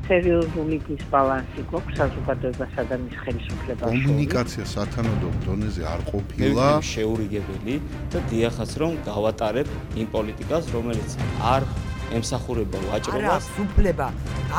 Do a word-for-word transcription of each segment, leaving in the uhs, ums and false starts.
სერიოზული დისბალანსი გვაქვს საზოგადოებასა და მის ხელისუფლებას. კომუნიკაცია სათანადო დონეზე არ ყოფილა. შეურიგებელი და დიახაც რომ გავატარებ იმ პოლიტიკას, რომელიც არ ემსახურება ვაჭრობას. არა, უფლება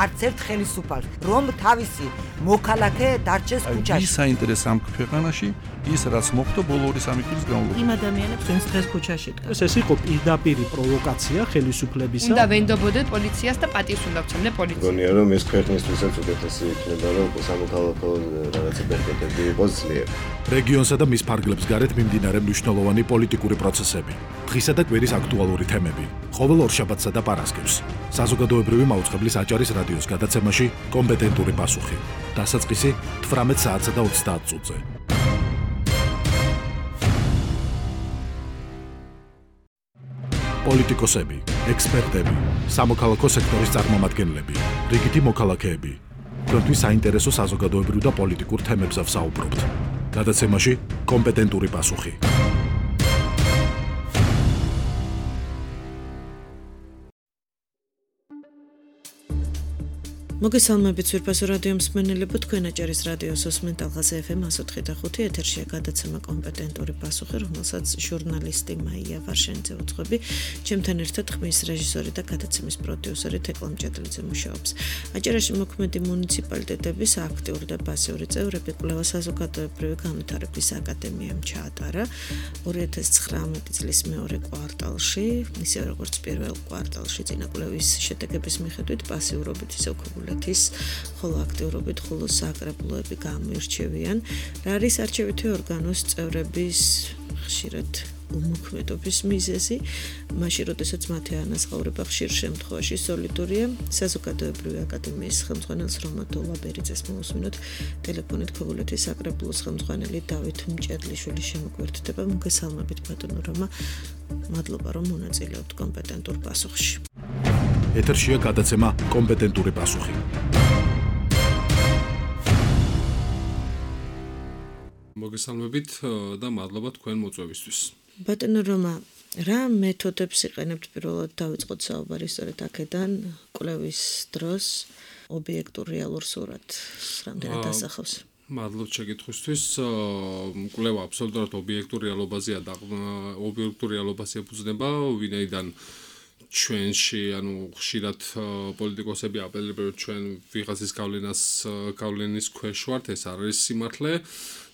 არც ერთ ხელისუფალს, რომ თავისი მოქალაქე დარჩეს ქუჩაში. ის საინტერესო ამ ქვეყანაში ის რაც მოხდა ბოლო ორი სამი წლის განმავლობაში. იმ ადამიანებს ვინც დღეს ქუჩაში დგას. ეს იყო პირდაპირი პროვოკაცია ხელისუფლებისა. უნდა ვენდობოდეთ პოლიციას და პატივს უნდა ვცემდეთ პოლიციას. მგონია რომ ეს ქვეყნისთვისაც უკეთესი იქნება რომ სამოქალაქო რაღაცა ბერკეტები იყოს ძლიერ. რეგიონსა და მის ფარგლებს გარეთ მიმდინარე მნიშვნელოვანი პოლიტიკური პროცესები, დღისა და კვირის აქტუალური თემები, ყოველ ორშაბათსა და პარასკევს. საზოგადოებრივი მაუწყებლის აჭარის რადიოს გადაცემაში კომპეტენტური პასუხი. დასაწყისი თვრამეტ საათსა და ოცდაათ წუთზე. პოლიტიკოსები, ექსპერტები, სამოქალაქო სექტორის წარმომადგენლები, რიგითი მოქალაქეები. თქვენთვის საინტერესო საზოგადოებრივ და პოლიტიკურ თემებზე ვსაუბრობთ. გადაცემაში კომპეტენტური პასუხი. მოგესალმებით ძვირფასო რადიო მსმენელებო, თქვენ აჭარის რადიოს უსმენთ ალღაზე ეფ ემ εκατო ოთხი და ხუთი ეთერშია გადაცემა კომპეტენტური პასუხი, რომელსაც ჟურნალისტი მაია ვარშენიძე უძღვები, ჩემთან ერთად ხმის რეჟისორი და გადაცემის პროდიუსერი თეკლა მჭედლიძე მუშაობს. აჭარაში მოქმედი მუნიციპალიტეტების აქტიური და პასიური წევრები კვლევა საზოგადოებრივი განვითარების აკადემიამ ჩაატარა ორი ათას ცხრამეტი წლის მეორე კვარტალში, ისე როგორც პირველ კვარტალში წინა კვლევის შედეგების მიხედვით პასიურობით ისე ხოლო აქტიურობით ხოლო საკრებულოები გამოირჩევიან. რა არის არჩევითი ორგანოს წევრების ხშირად უმოქმედობის მიზეზი, მაშინ როდესაც მათი ანაზღაურება ხშირ შემთხვევაში სოლიდურია. საზოგადოებრივი აკადემიის ხელმძღვანელს რომა დოლაბერიძეს მოусმინოთ ტელეფონით ქობულეთის საკრებულოს ხელმძღვანელი დავით მჭედლიშვილი შემოგვერთდება. მოგესალმებით ბატონო რომა, მადლობა რომ მონაწილეობთ კომპეტენტურ პასუხში. ეთერშია გადაცემა კომპეტენტური პასუხი. მოგესალმებით და მადლობა თქვენ მოწვევისთვის. ბატონო რომა, რა მეთოდებს იყენებთ პირველად დავიწყოთ საუბარი სწორედ აქედან კვლევის დროს ობიექტურ რეალურ სურათს რამდენად ასახავს? მადლობთ შეკითხვისთვის. კვლევა აბსოლუტურად ობიექტურ რეალობაზეა და ობიექტურ რეალობას ეფუძნება, ვინაიდან ჩვენში, ანუ ხშირად პოლიტიკოსები აპელირებენ ჩვენ ვიღაცის გავლენას გავლენის ქვეშ ვართ, ეს არ არის სიმართლე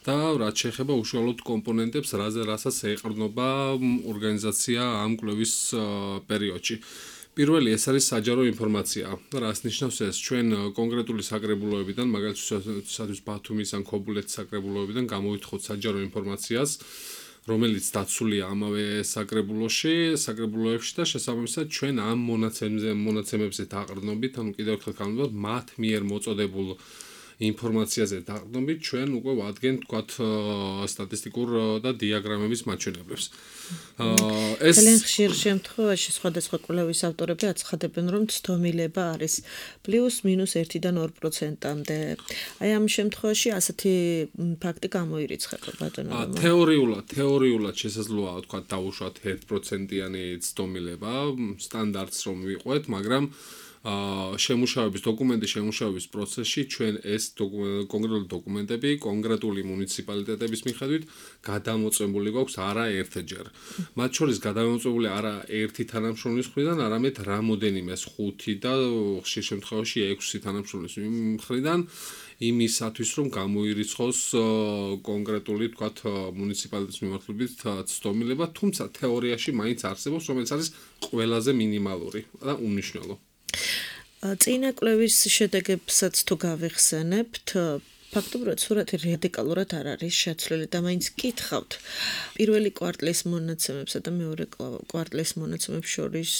და რაც შეეხება უშუალოდ კომპონენტებს, რასაც ეყრდნობა ორგანიზაცია ამ კვლევის პერიოდში. პირველი ეს არის საჯარო ინფორმაცია. რას ნიშნავს ეს? ჩვენ კონკრეტული საკრებულოებიდან, მაგალითად ბათუმის ან ქობულეთის საკრებულოებიდან გამოვითხოვთ საჯარო ინფორმაციას, რომელიც დაცულია ამავე საკრებულოში, საკრებულოებში და შესაბამისად ჩვენ ამ მონაცემებზე დაყრდნობით, ანუ კიდევ ერთხელ განვიხილოთ, მათ მიერ მოწოდებულ ინფორმაციაზე დაყრდნობით, ჩვენ უკვე ვადგენთ, თქვათ, სტატისტიკურ და დიაგრამების მაჩვენებლებს. ეს ძალიან ხშირ შემთხვევაში სხვადასხვა კვლევის ავტორები აცხადებენ, რომ ცდომილება არის პლუს მინუს ერთიდან ორ პროცენტამდე. აი ამ შემთხვევაში ასეთი ფაქტი გამოირიცხება ბატონო. თეორიულად, თეორიულად შესაძლოა, თქვათ, დაუშვათ ერთ პროცენტიანი ცდომილება, სტანდარტს რომ ვიყვეთ, მაგრამ შემუშავების დოკუმენტის შემუშავების პროცესში ჩვენ ეს კონკრეტული დოკუმენტები კონკრეტული მუნიციპალიტეტების მიხედვით გადამოწმებული გვაქვს არა ერთჯერ. მათ შორის გადამოწმებული არა ერთი თანამშრომლის მხრიდან, არამედ რამოდენიმეს ხუთი და ხშირ შემთხვევაში ექვსი თანამშრომლის მხრიდან იმისათვის რომ გამოირიცხოს კონკრეტული, თქვათ, მუნიციპალიტეტის მიმართულებით ცდომილება, თუმცა თეორიაში მაინც არსებობს, რომელიც არის ყველაზე მინიმალური და უმნიშვნელო. წინა კვლევის შედეგებსაც თუ გავიხსენებთ, ფაქტობრივად სურათი რადიკალურად არ არის შეცვლილი და მაინც კითხავთ პირველი კვარტლის მონაცემებსა და მეორე კვარტლის მონაცემებს შორის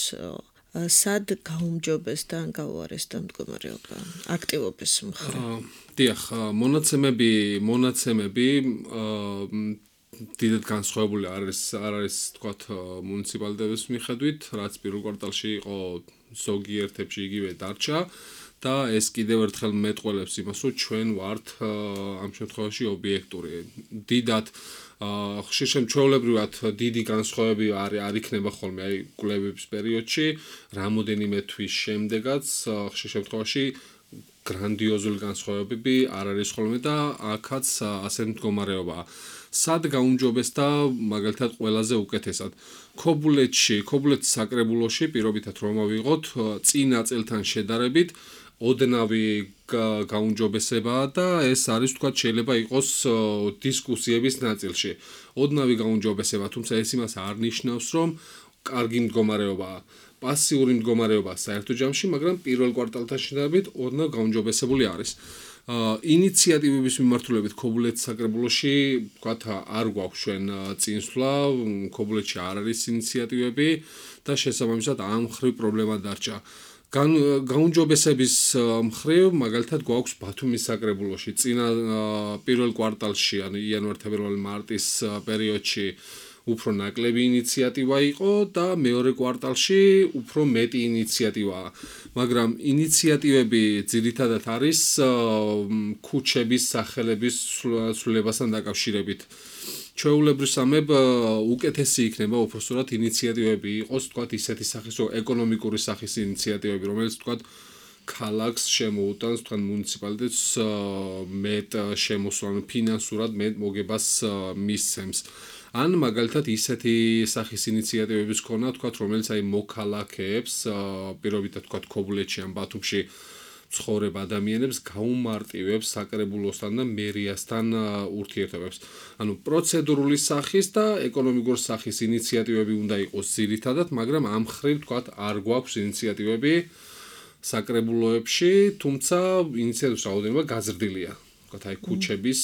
სად გაუმჯობეს და ან გაუარესდა მდგომარეობა აქტივობის მხრივ. დიახ, მონაცემები, მონაცემები დიდად განსხვავებული არის, არ არის, თქვათ, მუნიციპალიტეტების მიხედვით, რაც პირველ კვარტალში იყო ზოგიერთებში იგივე დარჩა და ეს კიდევ ერთხელ მეტყველებს იმას, რომ ჩვენ ვართ ამ შემთხვევაში ობიექტური. დიდად აა ხშირ შემჩეულებრივად დიდი განსხვავებები არ არ იქნება ხოლმე აი კვლევების პერიოდში, რამოდენიმე თვის შემდეგაც ხშირ შემთხვევაში გრანდიოზული განსხვავებები არ არის ხოლმე და აქაც ასე მდგომარეობაა. სად გაუმჯობესდა მაგალითად ყველაზე უკეთესად? ქობულეთში, ქობულეთის საკრებულოში პირობითად რომ ავიღოთ წინა წელთან შედარებით ოდნავი გაუმჯობესებაა და ეს არის თქვა შეიძლება იყოს დისკუსიების ნაწილში. ოდნავი გაუმჯობესება, თუმცა ეს იმას არ ნიშნავს, რომ კარგი მდგომარეობაა. პასიური მდგომარეობაა საერთო ჯამში, მაგრამ პირველ კვარტალთან შედარებით ოდნავ გაუმჯობესებული არის. ინიციატივების მიმართულებით ქობულეთის საკრებულოში ვთქვათ არ გვაქვს ჩვენ წინსვლა, ქობულეთში არ არის ინიციატივები და შესაბამისად ამ მხრივ პრობლემა დარჩა. გაუმჯობესების მხრივ მაგალითად გვაქვს ბათუმის საკრებულოში წინა პირველ კვარტალში, ანუ იანვარ-თებერვალი მარტის პერიოდში უფრო ნაკლები ინიციატივა იყო და მეორე კვარტალში უფრო მეტი ინიციატივაა. მაგრამ ინიციატივები ძირითადად არის ქუჩების სახელების ცვლილებასთან დაკავშირებით. ჩვეულებრივსამებ უკეთესი იქნება უпростоრად ინიციატივები იყოს, თქვათ ისეთი სახის ეკონომიკური სახის ინიციატივები, რომელიც თქვათ ქალაქს შემოუტანს, თქვათ მუნიციპალიტეტს მეტ შემოსვლას, ფინანსურად მეტ მოგებას მისცემს. ან მაგალითად ისეთი სახის ინიციატივების ქონა, თქვათ, რომელიც აი მოქალაქეებს, პირობითად თქვათ ქობულეთში ან ბათუმში ცხოვრებ ადამიანებს გაუმარტივებს საკრებულოსთან და მერიასთან ურთიერთობებს. ანუ პროცედურული სახის და ეკონომიკური სახის ინიციატივები უნდა იყოს ძირითადად, მაგრამ ამ მხრივ თქვათ არ გვაქვს ინიციატივები საკრებულოებში, თუმცა ინიციატივების რაოდენობა გაზრდილია. თქვათ აი ქუჩების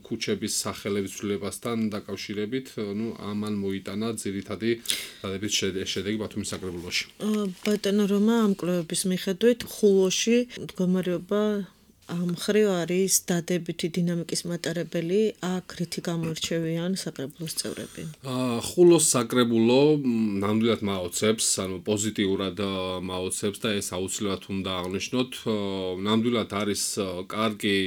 ქუჩების სახელების ცვლილებასთან დაკავშირებით, ნუ ამან მოიტანა ძირითადი დადებით შედეგი ბათუმის საკრებულოში. ბატონო რომა, ამ კვლევების მიხედვით ხულოში მდგომარეობა ამ მხრივ არის დადებითი დინამიკის მატარებელი, აქ რითი გამოირჩევიან საკრებულოს წევრები? ხულოს საკრებულო ნამდვილად მაოცებს, ანუ პოზიტიურად მაოცებს და ეს აუცილებლად უნდა აღნიშნოთ. ნამდვილად არის კარგი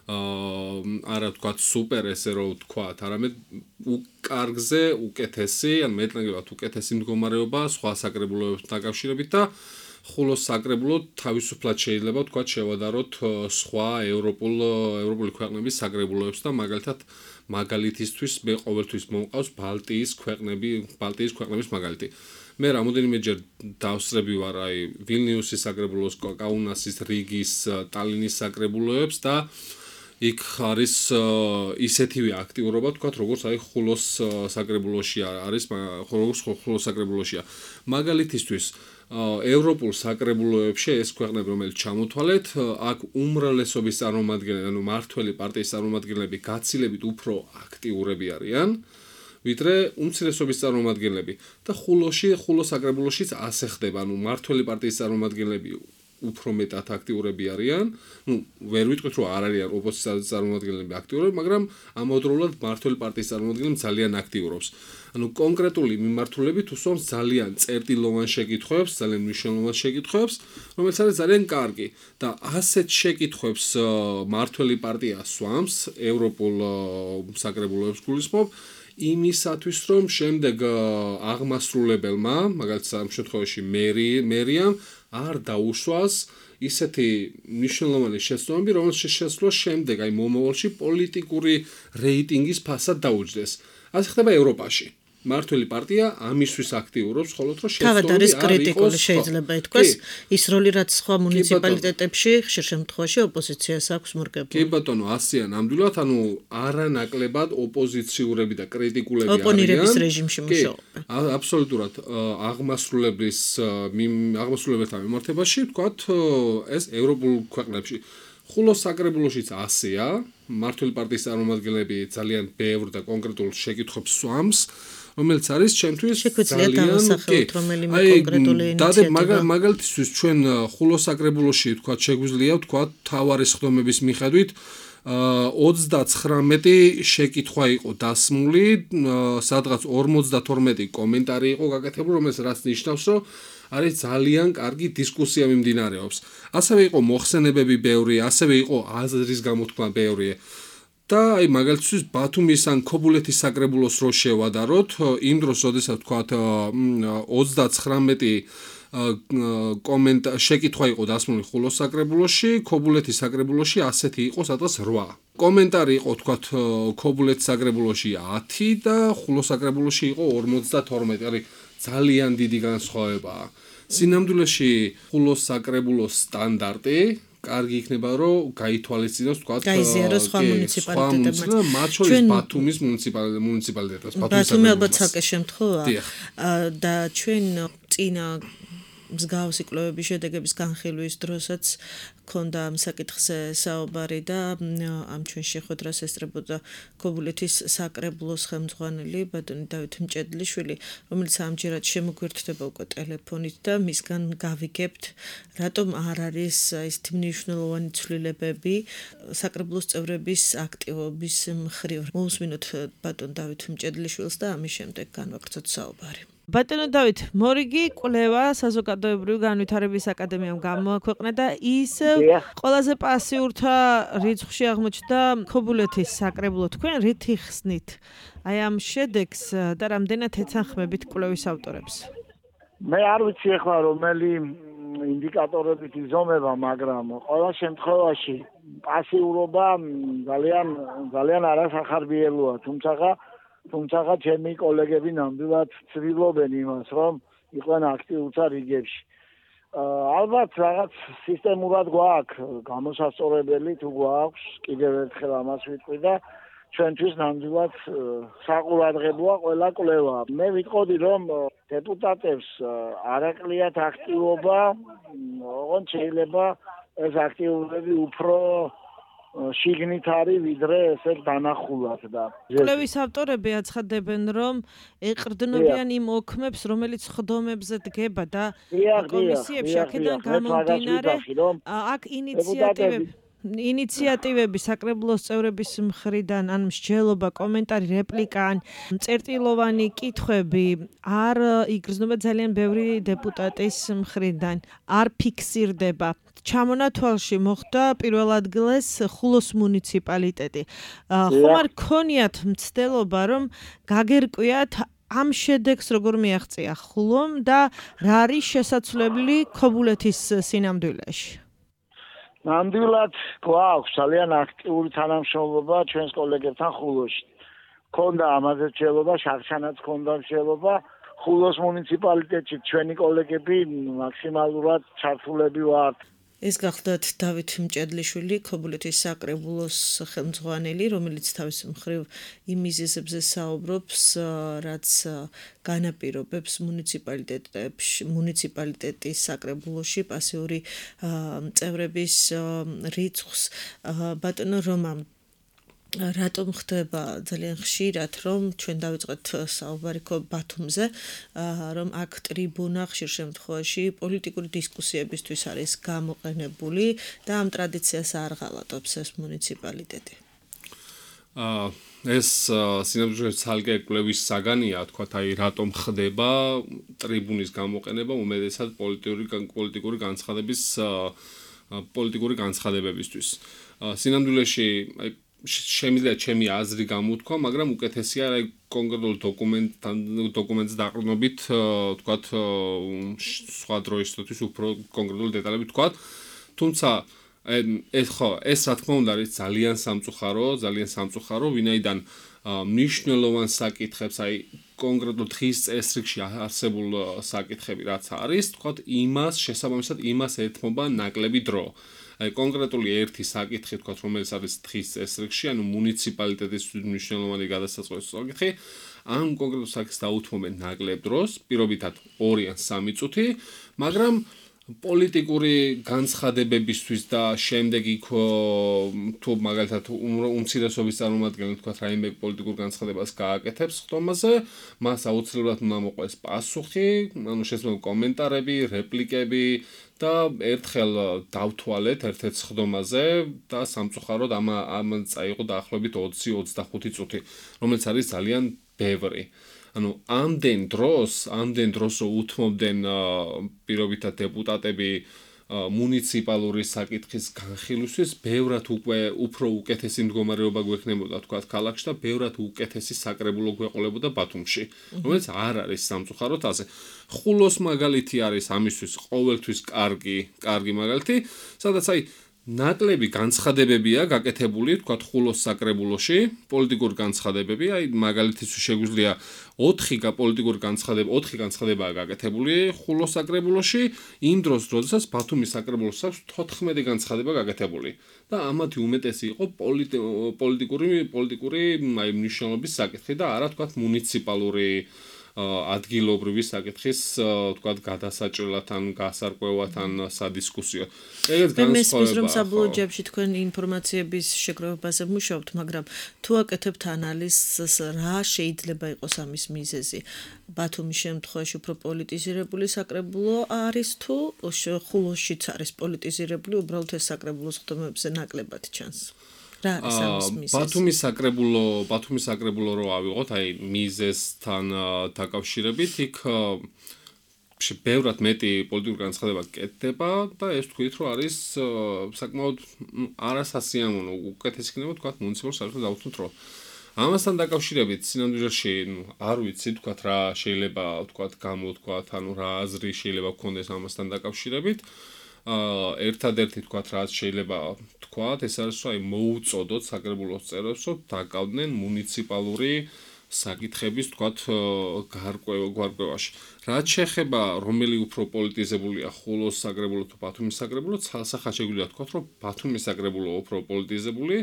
არა თქვათ სუპერ ესე რომ ვთქვათ, არამედ კარგზე უკეთესი, ან მეტნაკლებად უკეთესი მდგომარეობა სხვა საკრებულოებთან დაკავშირებით და ხულოს საკრებულო თავისუფლად შეიძლება თქვათ შევადაროთ სხვა ევროპულ ევროპული ქვეყნების საკრებულოებს და მაგალითად მაგალითისთვის მე ყოველთვის მომყავს ბალტიის ქვეყნები, ბალტიის ქვეყნების მაგალითი. მე რამოდენიმეჯერ დავსწრები ვარ აი ვილნიუსის საკრებულოს, კაუნასის, რიგის, ტალინის საკრებულოებს და იქ არის ისეთივე აქტიურობა, თქვათ, როგორც აი ხულოს საკრებულოში არის, როგორც ხულოს საკრებულოშია. მაგალითისთვის ევროპულ საკრებულოებში ეს ქვეყნები, რომელიც ჩამოთვალეთ, აქ უმრავლესობის წარმომადგენლები, ანუ მართველი პარტიის წარმომადგენლები გაცილებით უფრო აქტიურები არიან, ვიდრე უმცირესობის წარმომადგენლები. და ხულოში, ხულოს საკრებულოშიც ასე ხდება, ანუ მართველი პარტიის წარმომადგენლები უფრო მეტად აქტიურები არიან. ნუ ვერ ვიტყვით რომ არ არიან ოპოზიციის წარმომადგენლები აქტიურები, მაგრამ ამავდროულად მართველი პარტიის წარმომადგენლები ძალიან აქტიურობს. ანუ კონკრეტული მიმართულებით უსვამს ძალიან წერტილოვან შეკითხვებს, ძალიან მნიშვნელოვან შეკითხვებს, რომელიც არის ძალიან კარგი და ასეთ შეკითხვებს მართველი პარტია სვამს ევროპულ საკრებულოებს გულისხმობ იმისათვის რომ შემდეგ აღმასრულებელმა, მაგალითად ამ შემთხვევაში მერი, მერიამ არ დაუშვას ისეთი მნიშვნელოვანი შეცდომები, რომელშიც შესაძლოა შემდეგ აი მომავალში პოლიტიკური რეიტინგის ფასად დაუჯდეს. ასე ხდება ევროპაში. მართველი პარტია ამისთვის აქტიურობს, ხოლო რომ შეცდომები არ იყოს კრიტიკული შეიძლება ითქვას, ის როლი რაც სხვა მუნიციპალიტეტებში ხშირ შემთხვევაში ოპოზიციას აქვს მორგებული. კი ბატონო, ასეა ნამდვილად, ანუ არანაკლებად ოპოზიციურები და კრიტიკულები არიან. ოპონირების რეჟიმში მუშაობენ. აბსოლუტურად აღმასრულებლის აღმასრულებელთა მიმართებაში, ვთქვათ, ეს ევროპულ ქვეყნებში. ხულოს საკრებულოშიც ასეა, მართველი პარტიის წარმომადგენლები ძალიან ბევრ და კონკრეტულ შეკითხვებს სვამს, რომელიც არის ჩემთვის ძალიან რომელიმე კონკრეტული ინიციატივა. მაგალითისთვის ჩვენ ხულოს საკრებულოში ვთქვათ შეგვიძლია ვთქვათ თავარი სხდომების მიხედვით ოცდაცხრამეტი შეკითხვა იყო დასმული, სადღაც ორმოცდათორმეტი კომენტარი იყო გაკეთებული, რომელიც რაც ნიშნავს, რომ არის ძალიან კარგი დისკუსია მიმდინარეობს. ასევე იყო მოხსენებები ბევრი, ასევე იყო აზრის გამოთქმა ბევრი. და აი მაგალითად ბათუმის ან ქობულეთის საკრებულოს რო შევადაროთ, იმ დროს როდესაც თქვათ ოცდაცხრამეტი კომენტ შეკითხვა იყო დასმული ხულოს საკრებულოში, ქობულეთის საკრებულოში ასეთი იყო სადღაც რვა. კომენტარი იყო თქვათ ქობულეთის საკრებულოში ათი და ხულოს საკრებულოში იყო ორმოცდათორმეტი, არის ძალიან დიდი განსხვავებაა. სინამდვილეში ხულოს საკრებულოს სტანდარტი კარგი იქნება რომ გაითვალისწინოს თქვათ გაიზიაროს სხვა მუნიციპალიტეტებმაც. მათ შორის ბათუმის მუნიციპალიტეტს. ბათუმი ალბათ ცალკე შემთხვევაა და ჩვენ წინა მსგავსი კვლევების შედეგების განხილვის დროსაც ქონდა ამ საკითხზე საუბარი და ამ ჩვენ შეხვედრას ესწრებოდა ქობულეთის საკრებულოს ხელმძღვანელი ბატონი დავით მჭედლიშვილი, რომელიც ამჯერად შემოგვერთდება უკვე ტელეფონით და მისგან გავიგებთ, რატომ არ არის ისეთი მნიშვნელოვანი ცვლილებები საკრებულოს წევრების აქტივობის მხრივ. მოვუსმინოთ ბატონ დავით მჭედლიშვილს და ამის შემდეგ განვაგრძოთ საუბარი. ბატონო დავით, მორიგი კვლევა საზოგადოებრივი განვითარების აკადემიამ გამოაქვეყნა და ის ყველაზე პასიურთა რიცხვში აღმოჩნდა ქობულეთის საკრებულო. თქვენ რით იხსნით აი ამ შედეგს და რამდენად ეთანხმებით კვლევის ავტორებს? მე არ ვიცი ახლა რომელი ინდიკატორებით იზომება, მაგრამ ყველა შემთხვევაში პასიურობა ძალიან ძალიან არასახარბიელოა, თუმცა თუმცა ჩემი კოლეგები ნამდვილად ცდილობენ იმას, რომ იყვნენ აქტიურთა რიგებში. ალბათ რაღაც სისტემურად გვაქვს გამოსასწორებელი, თუ გვაქვს, კიდევ ერთხელ ამას ვიტყვი და ჩვენთვის ნამდვილად საყურადღებოა ყველა კვლევა. მე ვიტყოდი, რომ დეპუტატებს არ აკლიათ აქტივობა, ოღონდ შეიძლება ეს აქტიურები უფრო შიგნით არის ვიდრე ესე დანახულად და კვლევის ავტორები აცხადებენ, რომ ეყრდნობიან იმ ოქმებს, რომელიც ხდომებზე დგება და კომისიებში აქედან გამომდინარე აქ ინიციატივები ინიციატივები საკრებულოს წევრების მხრიდან, ან მსჯელობა, კომენტარი, რეპლიკა, ან წერტილოვანი კითხვები არ იგრძნობა ძალიან ბევრი დეპუტატის მხრიდან, არ ფიქსირდება. ჩამონათვალში მოხდა პირველ ადგილას ხულოს მუნიციპალიტეტი. ხომ არ გქონიათ მცდელობა, რომ გაგერკვიათ ამ შედეგს როგორ მიაღწია ხულომ და რა არის შესაძლებელი ქობულეთის სინამდვილეში? ნამდვილად გვაქვს ძალიან აქტიური თანამშრომლობა ჩვენს კოლეგებთან ხულოში. ქონდა ამაზე მსჯელობა, შახშანაც ქონდა მსჯელობა. ხულოს მუნიციპალიტეტში ჩვენი კოლეგები მაქსიმალურად ჩართულები ვართ. ეს გახლდათ დავით მჭედლიშვილი, ქობულეთის საკრებულოს ხელმძღვანელი, რომელიც თავის მხრივ იმ მიზეზებზე საუბრობს, რაც განაპირობებს მუნიციპალიტეტებში, მუნიციპალიტეტის საკრებულოში პასიური წევრების რიცხვს. ბატონო რომა, რატომ ხდება ძალიან ხშირად, რომ ჩვენ დავიწყეთ საუბარი ბათუმზე, რომ აქ ტრიბუნა ხშირ შემთხვევაში პოლიტიკური დისკუსიებისთვის არის გამოყენებული და ამ ტრადიციას არ ღალატობს ეს მუნიციპალიტეტი? ეს სინამდვილეში ცალკე კვლევის საგანია, თქვათ, აი რატომ ხდება ტრიბუნის გამოყენება უმეტესად პოლიტიკური პოლიტიკური განცხადების პოლიტიკური განცხადებებისთვის. სინამდვილეში აი შემიძლია ჩემი აზრი გამოვთქვა, მაგრამ უკეთესია აი კონკრეტულ დოკუმენტთან დოკუმენტს დაყრდნობით, თქვათ, სხვა დროისთვის უფრო კონკრეტულ დეტალებით თქვათ. თუმცა ეს ხო, ეს რა თქმა უნდა არის ძალიან სამწუხარო, ძალიან სამწუხარო, ვინაიდან მნიშვნელოვან საკითხებს, აი კონკრეტულ დღის წესრიგში არსებულ საკითხები რაც არის, თქვათ, იმას შესაბამისად იმას ეთმობა ნაკლები დრო. აი კონკრეტული ერთი საკითხი, თქვათ, რომელიც არის დღის წესრიგში, ანუ მუნიციპალიტეტის მნიშვნელოვანი გადასაწყვეტი საკითხი, ამ კონკრეტულ საკითხს დაუთმობენ ნაკლებ დროს, პირობითად ორი ან სამი წუთი, მაგრამ პოლიტიკური განცხადებებისთვის და შემდეგ იქ თუ მაგალითად უმცირესობის წარმომადგენელი, თქვათ, რაიმე პოლიტიკურ განცხადებას გააკეთებს ხდომაზე, მას აუცილებლად უნდა მოყვეს პასუხი, ანუ შესაძლოა კომენტარები, რეპლიკები და ერთხელ დავთვალეთ ერთ-ერთ ხდომაზე და სამწუხაროდ ამ ამ წაიღო დაახლოებით ოცი ოცდახუთი წუთი, რომელიც არის ძალიან ბევრი. ანუ ამდენ დროს, ამდენ დროს რო უთმობდნენ პირობითად დეპუტატები მუნიციპალური საკითხის განხილვისთვის ბევრად უკვე უფრო უკეთესი მდგომარეობა გვექნებოდა თქვა ქალაქში და ბევრად უკეთესი საკრებულო გვეყოლებოდა ბათუმში, რომელიც არ არის სამწუხაროდ ასე. ხულოს მაგალითი არის ამისთვის ყოველთვის კარგი, კარგი მაგალითი, სადაც აი ნაკლები განცხადებებია გაკეთებული, თქვა ხულოს საკრებულოში, პოლიტიკური განცხადებები, აი მაგალითიც შეგვიძლია ოთხი პოლიტიკური განცხადება, ოთხი განცხადებაა გაკეთებული ხულოს საკრებულოში, იმ დროს, როდესაც ბათუმის საკრებულოს აქვს თოთხმეტი განცხადება გაკეთებული. და ამათი უმეტესი იყო პოლიტიკური პოლიტიკური აი მნიშვნელობის საკითხი და არა თქვა მუნიციპალური ადგილობრივი საკითხის თქვა გადასაჭრელთან, გასარკვევთან სადისკუსიო. ეგეც განსხვავებაა. რომ საბოლოო ჯამში თქვენ ინფორმაციების შეგროვებაზე მუშაობთ, მაგრამ თუ აკეთებთ ანალიზს, რა შეიძლება იყოს ამის მიზეზი? ბათუმის შემთხვევაში უფრო პოლიტიზირებული საკრებულო არის თუ ხულოსშიც არის პოლიტიზირებული, უბრალოდ ეს საკრებულოს ხდომებზე ნაკლებად ჩანს. რა არის ამის მიზეზი? ბათუმის საკრებულო, ბათუმის საკრებულო რო ავიღოთ, აი მიზეზთან დაკავშირებით, იქ ბევრად მეტი პოლიტიკური განცხადება კეთდება და ეს თქვით, რომ არის საკმაოდ არასასიამოვნო, უკეთესი იქნება თქვა მუნიციპალურ საერთოდ დავუცნოთ, რომ ამასთან დაკავშირებით სინამდვილეში არ ვიცი თქვა რა შეიძლება თქვა გამოთქვა, ანუ რა აზრი შეიძლება გქონდეს ამასთან დაკავშირებით. ერთადერთი თქვა რაც შეიძლება თქვათ, ეს არის რომ აი მოუწოდოთ საკრებულოს წევრებს, რომ დაკავდნენ მუნიციპალური საკითხების თქვათ გარკვევაში. რაც შეეხება რომელი უფრო პოლიტიზებულია ხულოს საკრებულო თუ ბათუმის საკრებულო, ცალსახად შეგვიძლია თქვათ, რომ ბათუმის საკრებულო უფრო პოლიტიზებული,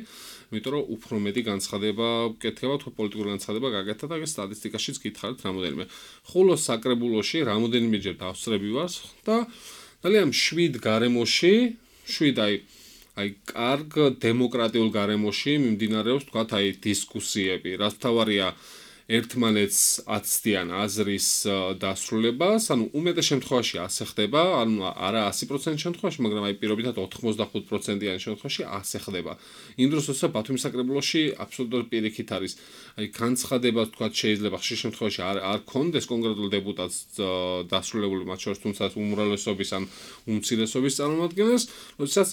იმიტომ რომ უფრო მეტი განცხადება კეთება, თუ პოლიტიკური განცხადება გაკეთდა და ეს სტატისტიკაშიც გითხარით რამოდენიმე. ხულოს საკრებულოში რამოდენიმეჯერ დავსწრები ვარ და ძალიან შვიდ გარემოში, შვიდ აი აი კარგ დემოკრატიულ გარემოში მიმდინარეობს თქვათ აი დისკუსიები, რაც თავარია ერთმანეთს აცდიან აზრის დასრულებას, ანუ უმეტეს შემთხვევაში ასე ხდება, ანუ არა ასი პროცენტის შემთხვევაში, მაგრამ აი პირობითად ოთხმოცდახუთ პროცენტიან შემთხვევაში ასე ხდება. იმ დროს როცა ბათუმის საკრებულოში აბსოლუტურად პირიქით არის, აი განცხადება თქვათ შეიძლება ხშირ შემთხვევაში არ არ კონდეს კონკრეტულ დეპუტატს დასრულებული, მათ შორის თუმცა უმრავლესობის ან უმცირესობის წარმომადგენელს, როდესაც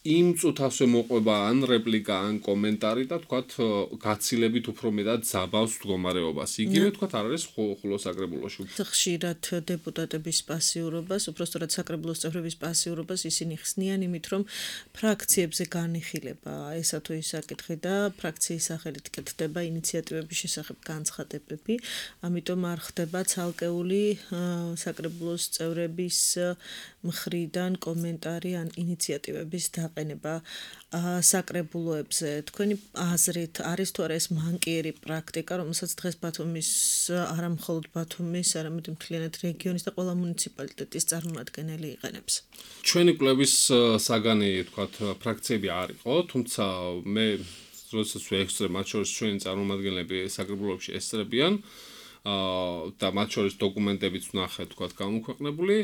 იმ წუთასვე მოყვება ან რეპლიკა, ან კომენტარი და თქვათ გაცილებით უფრო მეტად ძაბავს მდგომარეობას. იგივე თქვათ არ არის ხულოს საკრებულოში. ხშირად დეპუტატების პასიურობას, უბრალოდ საკრებულოს წევრების პასიურობას ისინი ხსნიან იმით, რომ ფრაქციებზე განიხილება ესა თუ ის საკითხი და ფრაქციის სახელით კეთდება ინიციატივების შესახებ განცხადებები, ამიტომ არ ხდება ცალკეული საკრებულოს წევრების მხრიდან კომენტარი ან ინიციატივების დაყენება საკრებულოებზე. თქვენი აზრით არის თუ არა ეს მანკიერი პრაქტიკა, რომელსაც დღეს ბათუმის, არა მხოლოდ ბათუმის, არამედ მთლიანად რეგიონის და ყველა მუნიციპალიტეტის წარმომადგენელი იყენებს? ჩვენი კვლევის საგანი, თქვათ, ფრაქციები არ იყო, თუმცა მე როდესაც ვექცევ, მათ შორის ჩვენი წარმომადგენლები საკრებულოებში ესწრებიან და მათ შორის დოკუმენტებიც ვნახე, თქვათ, გამოქვეყნებული.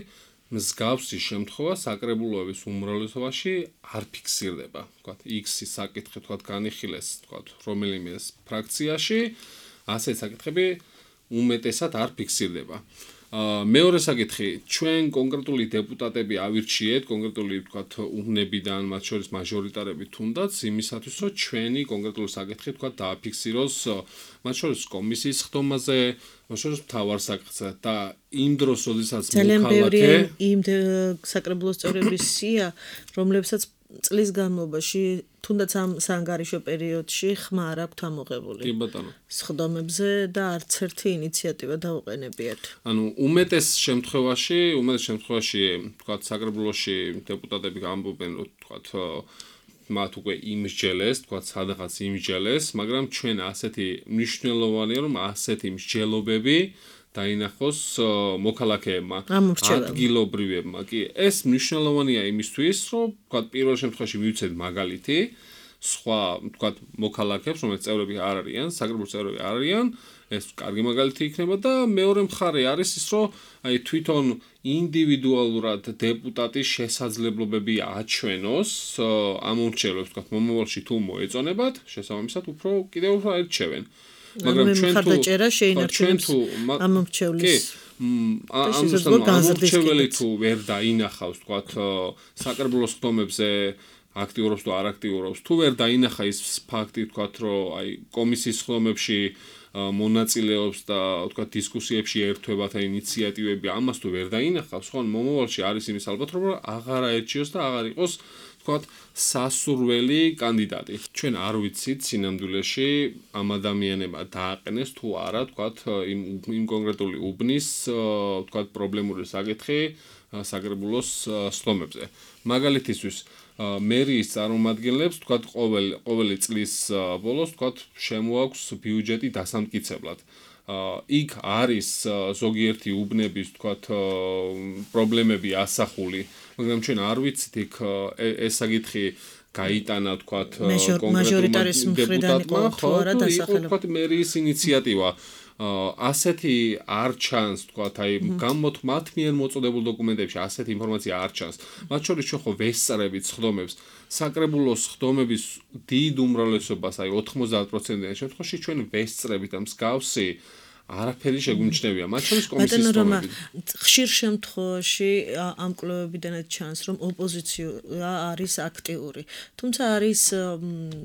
მსგავსი შემთხვევა საკრებულოების უმრავლესობაში არ ფიქსირდება, თქვათ, X-ის საკითხი, თქვათ, განიხილეს, თქვათ, რომელიმე ფრაქციაში, ასე საკითხები უმეტესად არ ფიქსირდება. მეორე საკითხი, ჩვენ კონკრეტული დეპუტატები ავირჩიეთ, კონკრეტული, თქვათ, უნებიდან, მათ შორის მაჟორიტარები თუნდაც, იმისათვის, რომ ჩვენი კონკრეტული საკითხი, თქვათ, დააფიქსიროს, მათ შორის კომისიის ხდომაზე, მათ შორის მთავარ საკითხზე და იმ დროს, როდესაც მოქალაქე იმ საკრებულოს წევრების სია, რომლებსაც წლის განმავლობაში თუნდაც ამ საანგარიშო პერიოდში ხმა არ აქვთ ამოღებული. კი ბატონო. სხდომებზე და არც ერთი ინიციატივა დაუყენებიათ. ანუ უმეტეს შემთხვევაში, უმეტეს შემთხვევაში, თქვათ, საკრებულოში დეპუტატები ამბობენ, რომ თქვათ, მათ უკვე იმსჯელეს, თქვათ, სადღაც იმსჯელეს, მაგრამ ჩვენ ასეთი მნიშვნელოვანია, რომ ასეთი მსჯელობები დაინახოს მოქალაქეებმა, ადგილობრივებმა. კი, ეს მნიშვნელოვანია იმისთვის, რომ თქვათ, პირველ შემთხვევაში მივცეთ მაგალითი, სხვა, თქვათ, მოქალაქეებს, რომელიც წევრები არ არიან, საკრებულოს წევრები არ არიან, ეს კარგი მაგალითი იქნება და მეორე მხარე არის ის, რომ აი თვითონ ინდივიდუალურად დეპუტატის შესაძლებლობები აჩვენოს ამ მომრჩევლებს, თქვათ, მომავალში თუ მოეწონებათ, შესაბამისად უფრო კიდევ უფრო აირჩევენ. მაგრამ ჩვენ თუ შეინარჩუნებს ამ მომრჩევლის ამორჩეველი თუ ვერ დაინახავს, თქვათ, საკრებულოს ხდომებზე აქტიურობს თუ არ აქტიურობს, თუ ვერ დაინახა ის ფაქტი, თქვათ, რომ აი კომისიის ხდომებში მონაწილეობს და თქვათ დისკუსიებში ერთვება და ინიციატივები ამას თუ ვერ დაინახავს, ხო, მომავალში არის იმის ალბათ, რომ აღარ აერჩიოს და აღარ იყოს თქვათ სასურველი კანდიდატი. ჩვენ არ ვიცით სინამდვილეში ამ ადამიანებმა დააყენეს თუ არა, თქვათ, იმ იმ კონკრეტული უბნის, თქვათ, პრობლემური საკითხი საკრებულოს სხდომებზე. მაგალითისთვის მერიის წარმომადგენლებს, თქვათ, ყოველ ყოველი წლის ბოლოს, თქვათ, შემოაქვს ბიუჯეტი დასამტკიცებლად. იქ არის ზოგიერთი უბნების, თქვათ, პრობლემები ასახული, მაგრამ ჩვენ არ ვიცით იქ ეს საკითხი გაიტანა, თქვათ, მაჟორიტარის მხრიდან იყო თუ არა დასახელებული. თქვათ, მერიის ინიციატივა ასეთი არ ჩანს, თქვათ, აი გამოთ მათ მიერ მოწოდებულ დოკუმენტებში ასეთი ინფორმაცია არ ჩანს. მათ შორის ჩვენ ხო ვესწრებით ხდომებს, საკრებულოს ხდომების დიდ უმრავლესობას, აი ოცდაოთხ პროცენტიან შემთხვევაში ჩვენ ვესწრებით ამ მსგავსი არაფერი შეგვიმჩნევია, მათ შორის კომისიის ხდომები. ხშირ შემთხვევაში ამ კვლევებიდანაც ჩანს, რომ ოპოზიცია არის აქტიური. თუმცა არის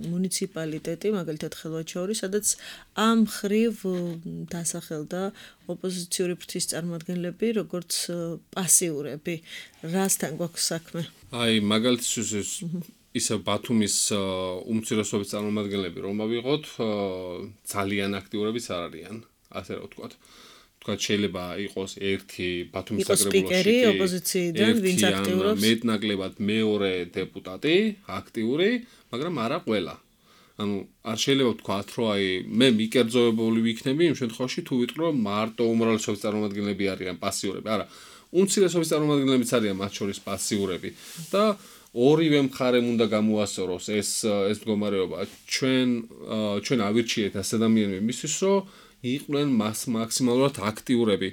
მუნიციპალიტეტი, მაგალითად ხელვაჩაური, სადაც ამ ხრივ დასახელდა ოპოზიციური ფრთის წარმომადგენლები, როგორც პასიურები. რასთან გვაქვს საქმე? აი, მაგალითისთვის ისე ბათუმის უმცირესობის წარმომადგენლები რომ ავიღოთ, ძალიან აქტიურებიც არ არიან. ასე რომ ვთქვათ. ვთქვათ, შეიძლება იყოს ერთი ბათუმის საკრებულოში ოპოზიციიდან, ვინც აქტიურობს. მეტნაკლებად მეორე დეპუტატი აქტიური, მაგრამ არა ყველა. ანუ არ შეიძლება ვთქვათ, რომ აი მე მიკერძოებული ვიქნები იმ შემთხვევაში თუ ვიტყვი, რომ მარტო უმრავლესობის წარმომადგენლები არიან პასიურები. არა, უმცირესობის წარმომადგენლებიც არიან მათ შორის პასიურები და ორივე მხარემ უნდა გამოასწოროს ეს ეს მდგომარეობა. ჩვენ ჩვენ ავირჩიეთ ეს ადამიანები მისთვის, რომ იყვნენ მას მაქსიმალურად აქტიურები.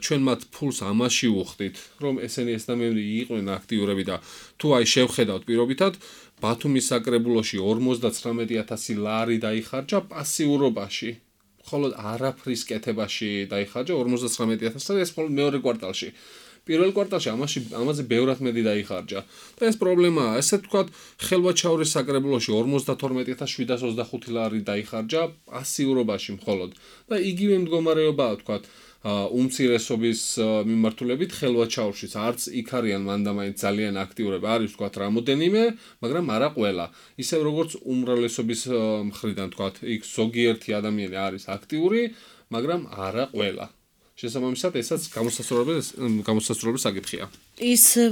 ჩვენ მათ ფულს ამაში უხდით, რომ ესენი ეს ადამიანები იყვნენ აქტიურები და თუ აი შევხედავთ პირობითად, ბათუმის საკრებულოში ორმოცდაცხრამეტი ათასი ლარი დაიხარჯა პასიურობაში. მხოლოდ არაფრის კეთებაში დაიხარჯა ორმოცდაცხრამეტი ათასი ლარი, ეს მხოლოდ მეორე კვარტალში. პირველ კვარტალში ამაში ამაზე ბევრად მეტი დაიხარჯა. და ეს პრობლემაა, ესე ვთქვათ, ხელვაჩაურის საკრებულოში ორმოცდათორმეტი ათას შვიდას ოცდახუთი ლარი დაიხარჯა პასიურობაში მხოლოდ. და იგივე მდგომარეობაა, ვთქვათ, უმცირესობის მიმართულებით ხელვაჩაურშიც არც იქ არიან მანდამაინც ძალიან აქტიურები, არის ვთქვათ რამოდენიმე, მაგრამ არა ყველა. ისევ როგორც უმრავლესობის მხრიდან, ვთქვათ, იქ ზოგიერთი ადამიანი არის აქტიური, მაგრამ არა ყველა. შესაბამისად, ესაც გამოსასწორებელი გამოსასწორებელი საკითხია. ისევ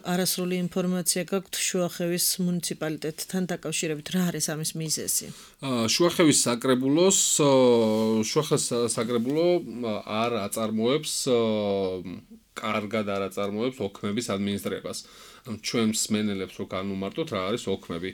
არასრული ინფორმაცია გაქვთ შუახევის მუნიციპალიტეტთან დაკავშირებით, რა არის ამის მიზეზი? შუახევის საკრებულოს შუახევის საკრებულო არ აწარმოებს კარგად არ აწარმოებს ოქმების ადმინისტრებას. ჩვენ მსმენელებს რო განვმარტოთ რა არის ოქმები.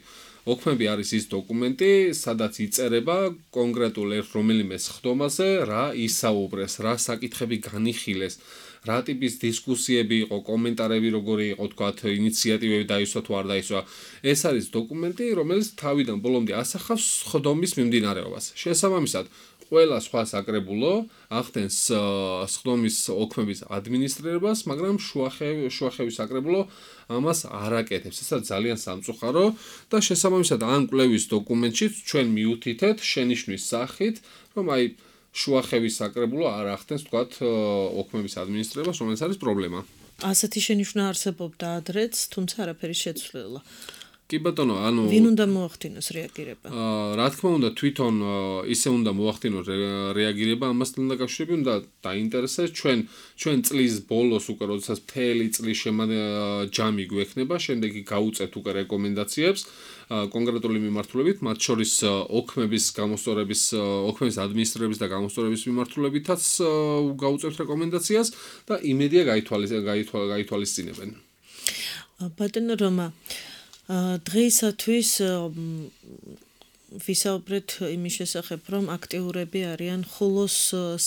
ოქმები არის ის დოკუმენტი, სადაც იწერება კონკრეტულ ერთ რომელიმე სხდომაზე რა ისაუბრეს, რა საკითხები განიხილეს, რა ტიპის დისკუსიები იყო, კომენტარები როგორი იყო, თქვათ, ინიციატივები დაისვა თუ არ დაისვა. ეს არის დოკუმენტი, რომელიც თავიდან ბოლომდე ასახავს სხდომის მიმდინარეობას. შესაბამისად, ყველა სხვა საკრებულო ახდენს სხდომის ოქმების ადმინისტრირებას, მაგრამ შუახევის საკრებულო ამას არ აკეთებს. ეს ძალიან სამწუხარო და შესაბამისად ამ კვლევის დოკუმენტში ჩვენ მიუთითეთ შენიშვნის სახით, რომ აი შუახევის საკრებულო არ ახდენს, თქვათ, ოქმების ადმინისტრირებას, რომელიც არის პრობლემა. ასეთი შენიშვნა არსებობდა ადრეც, თუმცა არაფერი შეცვლილა. კი ბატონო, ანუ ვინ უნდა მოახდინოს რეაგირება? აა, რა თქმა უნდა, თვითონ ისე უნდა მოახდინოს რეაგირება ამასთან დაკავშირებით, უნდა დაინტერესდეს ჩვენ ჩვენ წლის ბოლოს უკვე როდესაც მთელი წლის ჯამი გვექნება, შემდეგი გაუწევთ უკვე რეკომენდაციებს კონკრეტული მიმართულებით, მათ შორის ოქმების გამოსწორების, ოქმების ადმინისტრირების და გამოსწორების მიმართულებითაც გაუწევთ რეკომენდაციას და იმედია გაითვალისწინებენ. ბატონო რომა, დღეისათვის ვისაუბრეთ იმის შესახებ, რომ აქტიურები არიან ხულოს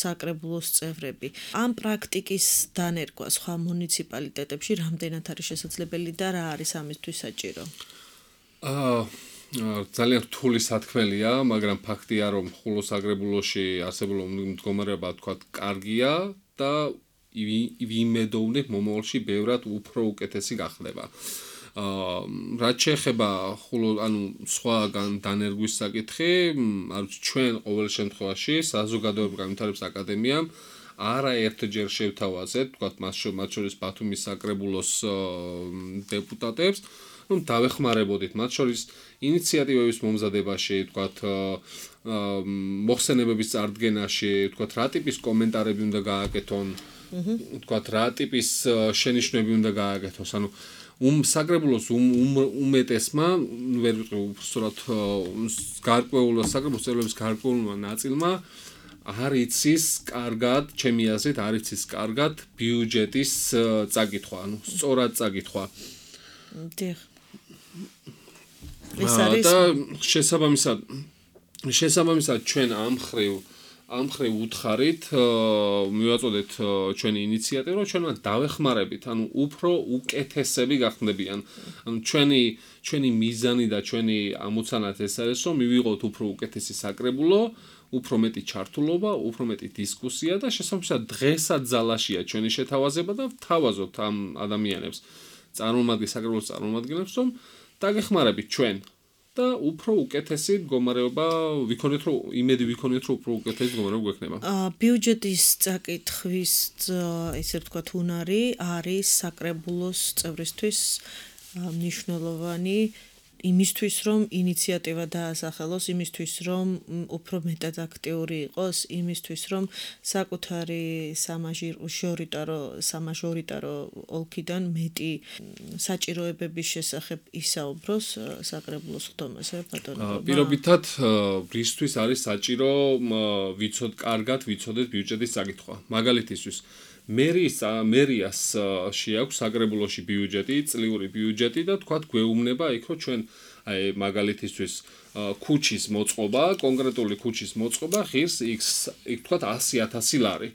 საკრებულოს წევრები. ამ პრაქტიკის დანერგვა სხვა მუნიციპალიტეტებში რამდენად არის შესაძლებელი და რა არის ამისთვის საჭირო? აა ძალიან რთული სათქმელია, მაგრამ ფაქტია, რომ ხულოს საკრებულოში არსებული მდგომარეობა, თქვათ, კარგია და ვიმედოვნებ მომავალში ბევრად უფრო უკეთესი გახდება. აა რაც შეეხება ხოლო ანუ სხვაგან დანერგვის საკითხი, არ ვიცი ჩვენ ყოველ შემთხვევაში საზოგადოებრივ განვითარების აკადემიამ არაერთჯერ შევთავაზეთ, თქვათ მას შორის ბათუმის საკრებულოს დეპუტატებს, ну დავეხმარებოდით მათ შორის ინიციატივების მომზადებაში, თქვათ მოხსენებების წარდგენაში, თქვათ რა ტიპის კომენტარები უნდა გააკეთონ, თქვათ რა ტიპის შენიშვნები უნდა გააკეთოს, ანუ um საკრებულოს უმეტესმა ვერ ვიტყვი უბრალოდ გარკვეულ საკრებულოს წევრების გარკვეულმა ნაწილმა არ იცის კარგად, ჩემი აზრით, არ იცის კარგად ბიუჯეტის წაკითხვა, ანუ სწორად წაკითხვა. დიახ. ეს არის და შესაბამისად შესაბამისად ჩვენ ამ ხრივ ამ ხრივ უთხარით მივაწოდეთ ჩვენი ინიციატივა, რომ ჩვენ დავეხმარებით, ანუ უფრო უკეთესები გახდებიან. ანუ ჩვენი ჩვენი მიზანი და ჩვენი ამოცანაც ეს არის, რომ მივიღოთ უფრო უკეთესი საკრებულო, უფრო მეტი ჩართულობა, უფრო მეტი დისკუსია და შესაბამისად დღესაც ძალაშია ჩვენი შეთავაზება და ვთავაზობთ ამ ადამიანებს, წარმომადგენლებს, საკრებულოს წარმომადგენლებს, რომ დაგეხმარებით ჩვენ და უფრო უკეთესი მდგომარეობა ვიქონეთ, რომ იმედი ვიქონეთ, რომ უფრო უკეთესი მდგომარეობა გვექნება. აა ბიუჯეტის წაკითხვის ესე ვთქვათ უნარი არის საკრებულოს წევრისთვის მნიშვნელოვანი იმისთვის, რომ ინიციატივა დაასახელოს, იმისთვის, რომ უფრო მეტად აქტიური იყოს, იმისთვის, რომ საკუთარი სამაჟორიტარო სამაჟორიტარო ოლქიდან მეტი საჭიროებების შესახებ ისაუბროს საკრებულოს ხდომაზე, ბატონო. პირობითად რისთვის არის საჭირო ვიცოდ კარგად ვიცოდეთ ბიუჯეტის წაკითხვა. მაგალითისთვის მერიის მერიას შეაქვს საკრებულოში ბიუჯეტი, წლიური ბიუჯეტი და თქვათ გვეუბნება იქ რომ ჩვენ აი მაგალითისთვის ქუჩის მოწყობა, კონკრეტული ქუჩის მოწყობა ღირს იქ თქვათ ასი ათასი ლარი.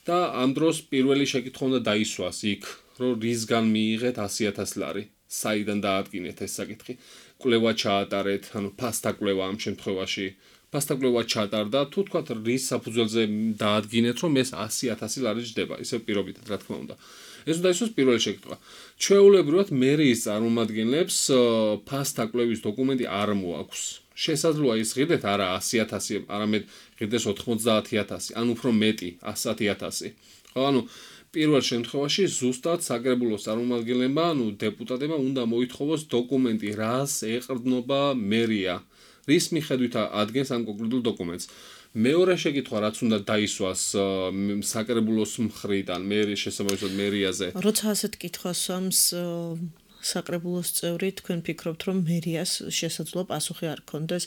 და ამ დროს პირველი შეკითხვა უნდა დაისვას იქ, რომ რისგან მიიღეთ ასი ათასი ლარი, საიდან დაადგინეთ ეს საკითხი. კვლევა ჩაატარეთ, ანუ ფასთა კვლევა ამ შემთხვევაში ფასტაკვლევა ჩატარდა, თუ თქვათ რის საფუძველზე დაადგინეთ, რომ ეს ასი ათასი ლარი ჯდება, ისე პირობითად, რა თქმა უნდა. ეს უნდა ისოს პირველი შეკითხვა. ჩვეულებრივად მერიის წარმომადგენლებს ფასტაკვლევის დოკუმენტი არ მოაქვს. შესაძლოა ის ღირდეთ არა ასი ათასი, არამედ ღირდეს ოთხმოცდაათი ათასი, ან უფრო მეტი ასი ათასი. ხო, ანუ პირველ შემთხვევაში ზუსტად საკრებულოს წარმომადგენლებმა, ანუ დეპუტატებმა უნდა მოითხოვოს დოკუმენტი, რას ეყრდნობა მერია. რის მიხედვით ადგენს ამ კონკრეტულ დოკუმენტს. მეორე შეკითხვა რაც უნდა დაისვას საკრებულოს მხრიდან, მერის შესაბამისად მერიაზე. როცა ასეთ კითხვას სვამს საკრებულოს წევრი, თქვენ ფიქრობთ, რომ მერიას შესაძლოა პასუხი არ ქონდეს.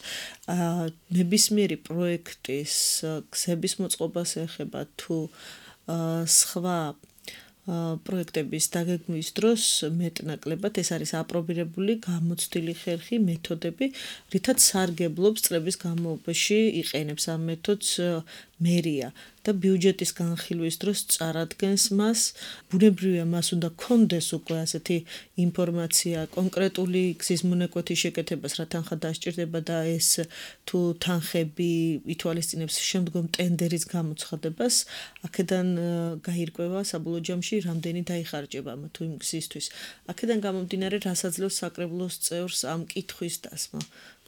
ნებისმიერი პროექტის გზების მოწყობას ეხება თუ სხვა პროექტების დაგეგმვის დროს მეტნაკლებად ეს არის აპრობირებული გამოცდილი ხერხი მეთოდები, რითაც სარგებლობს წლების განმავლობაში იყენებს ამ მეთოდს მერია და ბიუჯეტის განხილვის დროს წარადგენს მას. ბუნებრივია მას უნდა კონდეს უკვე ასეთი ინფორმაცია კონკრეტული გზის მონაკვეთი შეკეთებას, რა თანხა დასჭირდება და ეს თუ თანხები ითვალისწინებს შემდგომ ტენდერის გამოცხადებას, აქედან გაირკვევა საბოლოო ჯამში რამდენი დაიხარჯება ამა თუ იმ გზისთვის. აქედან გამომდინარე, რასაც საკრებულოს წევრს ამ კითხვის დასმა.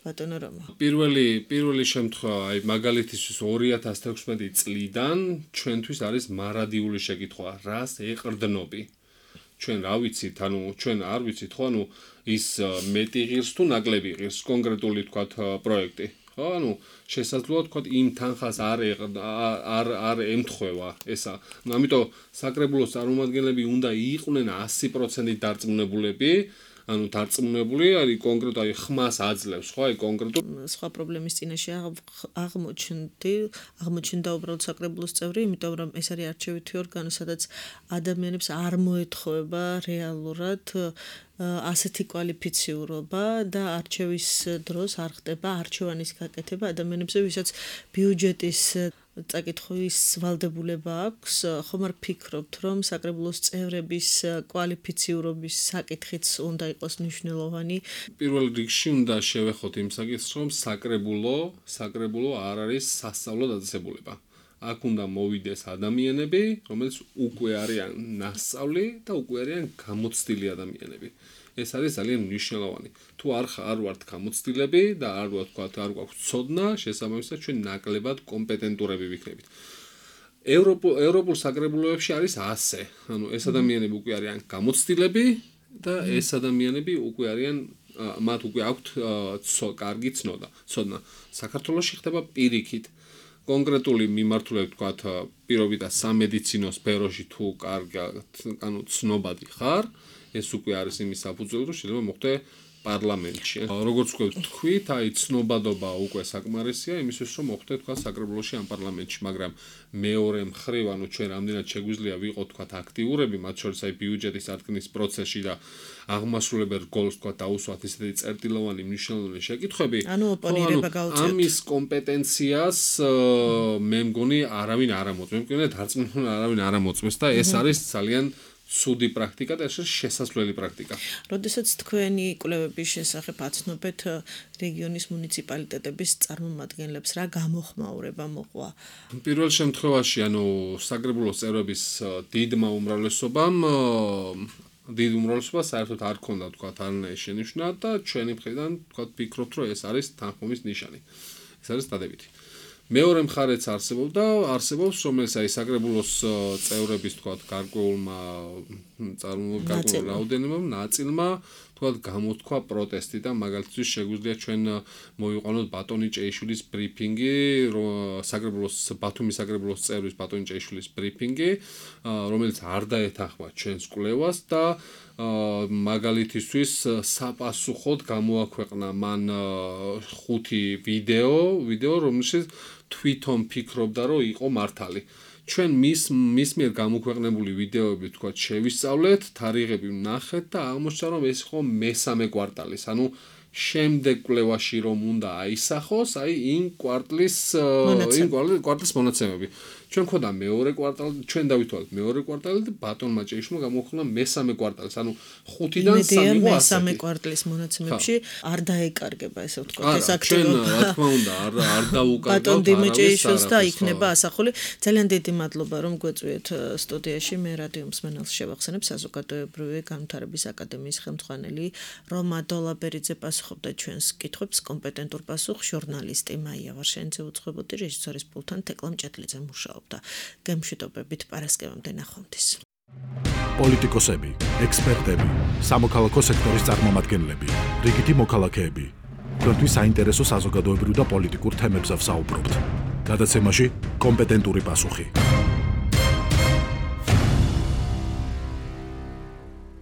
ბატონო რომა. პირველი პირველი შემთხვევა, აი მაგალითისთვის ორი ათას თექვსმეტი წლიდან ჩვენთვის არის მარადიული შეკითხვა, რას ეყრდნობი. ჩვენ რა ვიცით, ანუ ჩვენ არ ვიცით, ხო, ანუ ის მეტი ღირს თუ ნაკლები ღირს კონკრეტული თქვათ პროექტი. ხო, ანუ შესაძლოა თქვათ იმ თანხას არ არ არ ემთხვევა ესა. ამიტომ საკრებულოს წარმომადგენლები უნდა იყვნენ ასი პროცენტით დარწმუნებულები. ანუ დარწმუნებული არის კონკრეტულად აი ხმას აძლევს, ხო, აი კონკრეტულ სხვა პრობლემის წინაშე აღმოჩნდი, აღმოჩნდა უბრალოდ საკრებულოს წევრი, იმიტომ რომ ეს არის არჩევითი ორგანო, სადაც ადამიანებს არ მოეთხოვება რეალურად ასეთი კვალიფიციურობა და არჩევის დროს არ ხდება არჩევანის გაკეთება ადამიანებზე, ვისაც ბიუჯეტის წაკითხვის ვალდებულება აქვს, ხომ არ ფიქრობთ, რომ საკრებულოს წევრების კვალიფიციურობის საკითხიც უნდა იყოს მნიშვნელოვანი? პირველ რიგში უნდა შევეხოთ იმ საკითხს, რომ საკრებულო, საკრებულო არ არის სასწავლო დაწესებულება. აქ უნდა მოვიდეს ადამიანები, რომელიც უკვე არიან ნასწავლი და უკვე არიან გამოცდილი ადამიანები. ეს არის ძალიან მნიშვნელოვანი. თუ არ არ ვართ გამოცდილები და არ ვართ თქვა არ გვაქვს ცოდნა, შესაბამისად ჩვენ ნაკლებად კომპეტენტურები ვიქნებით. ევროპულ ევროპულ საკრებულოებში არის ასე. ანუ ეს ადამიანები უკვე არიან გამოცდილები და ეს ადამიანები უკვე არიან მათ უკვე აქვთ კარგი ცნობა. ცოდნა. საქართველოში ხდება პირიქით. კონკრეტული მიმართულებით ვთქვათ, პირობითად სამედიცინო სფეროში თუ კარგად, ანუ ცნობადი ხარ, ეს უკვე არის იმის საფუძველი, რომ შეიძლება მოხდე პარლამენტში. როგორც ვთქვით, აი ცნობადობა უკვე საკმარისია იმისთვის, რომ მოხდე თქვა საკრებულოში ან პარლამენტში, მაგრამ მეორე მხრივ, ანუ ჩვენ რამდენად შეგვიძლია ვიყოთ თქვა აქტიურები, მათ შორის აი ბიუჯეტის აწმის პროცესში და აღმასრულებელ რგოლს თქვა დაუსვათ ისეთი წერტილოვანი მნიშვნელოვანი შეკითხვები. ანუ ოპონირება გაუწევთ. ამის კომპეტენციას მე მგონი არავინ არ ამოწმებს. მე მგონი დარწმუნებული არავინ არ ამოწმებს და ეს არის ძალიან ცუდი პრაქტიკა და ეს შესაძლებელი პრაქტიკა. როდესაც თქვენი კვლევების შესახებ აცნობეთ რეგიონის მუნიციპალიტეტების წარმომადგენლებს, რა გამოხმაურება მოყვა? პირველ შემთხვევაში, ანუ საკრებულოს წევრების დიდმა უმრავლესობამ დიდ უმრავლესობას საერთოდ არ ქონდა თქვა არანაირი შენიშვნა და ჩვენი მხრიდან თქვა ვფიქრობთ, რომ ეს არის თანხმობის ნიშანი. ეს არის დადებითი. მეორე მხარეც არსებობდა, არსებობს, რომელიც აი საკრებულოს წევრების თქვა გარკვეულმა წარმომადგენლმა რაოდენობამ ნაწილმა თქვა გამოთქვა პროტესტი და მაგალითად შეგვიძლია ჩვენ მოვიყვანოთ ბატონი ჭეიშვილის ბრიფინგი, საკრებულოს ბათუმის საკრებულოს წევრის ბატონი ჭეიშვილის ბრიფინგი, რომელიც არ დაეთანხმა ჩვენს კვლევას და მაგალითისთვის საპასუხოდ გამოაქვეყნა მან ხუთი ვიდეო, ვიდეო რომელშიც თვითონ ფიქრობდა, რომ იყო მართალი. ჩვენ მის მის მიერ გამოქვეყნებული ვიდეოები თქვა შევისწავლეთ, თარიღები ვნახეთ და აღმოჩნდა, რომ ეს იყო მესამე კვარტალის, ანუ შემდეგ კვლევაში რომ უნდა აისახოს, აი იმ კვარტლის იმ კვარტლის მონაცემები. ჩვენ ხოდა მეორე კვარტალი, ჩვენ დავითვალეთ მეორე კვარტალი და ბატონმა ჭეიშვილმა გამოქვეყნა მესამე კვარტალის, ანუ ხუთიდან სამი იყო ასეთი. მესამე კვარტლის მონაცემებში არ დაეკარგება ესე ვთქვათ ეს აქტივობა. რა თქმა უნდა, არ არ დაუკარგავთ ბატონ დიმიჭეიშვილს და იქნება ასახული. ძალიან დიდი მადლობა რომ გვეწვიეთ სტუდიაში. მე რადიო მსმენელს შევახსენებ საზოგადოებრივი განვითარების აკადემიის ხელმძღვანელი რომა დოლაბერიძე პასუხობდა ჩვენს კითხვებს, კომპეტენტურ პასუხს ჟურნალისტი მაია ვარშენიძე უძღვებოდი, რეჟისორის პულთან თეკლამ ჭეთლიძე მუშაობდა. გემშვიდობებით პარასკევამდე ნახვამდის. პოლიტიკოსები, ექსპერტები, სამოქალაქო სექტორის წარმომადგენლები, რიგითი მოქალაქეები. თქვენთვის საინტერესო საზოგადოებრივ და პოლიტიკურ თემებზე ვსაუბრობთ. გადაცემაში კომპეტენტური პასუხი.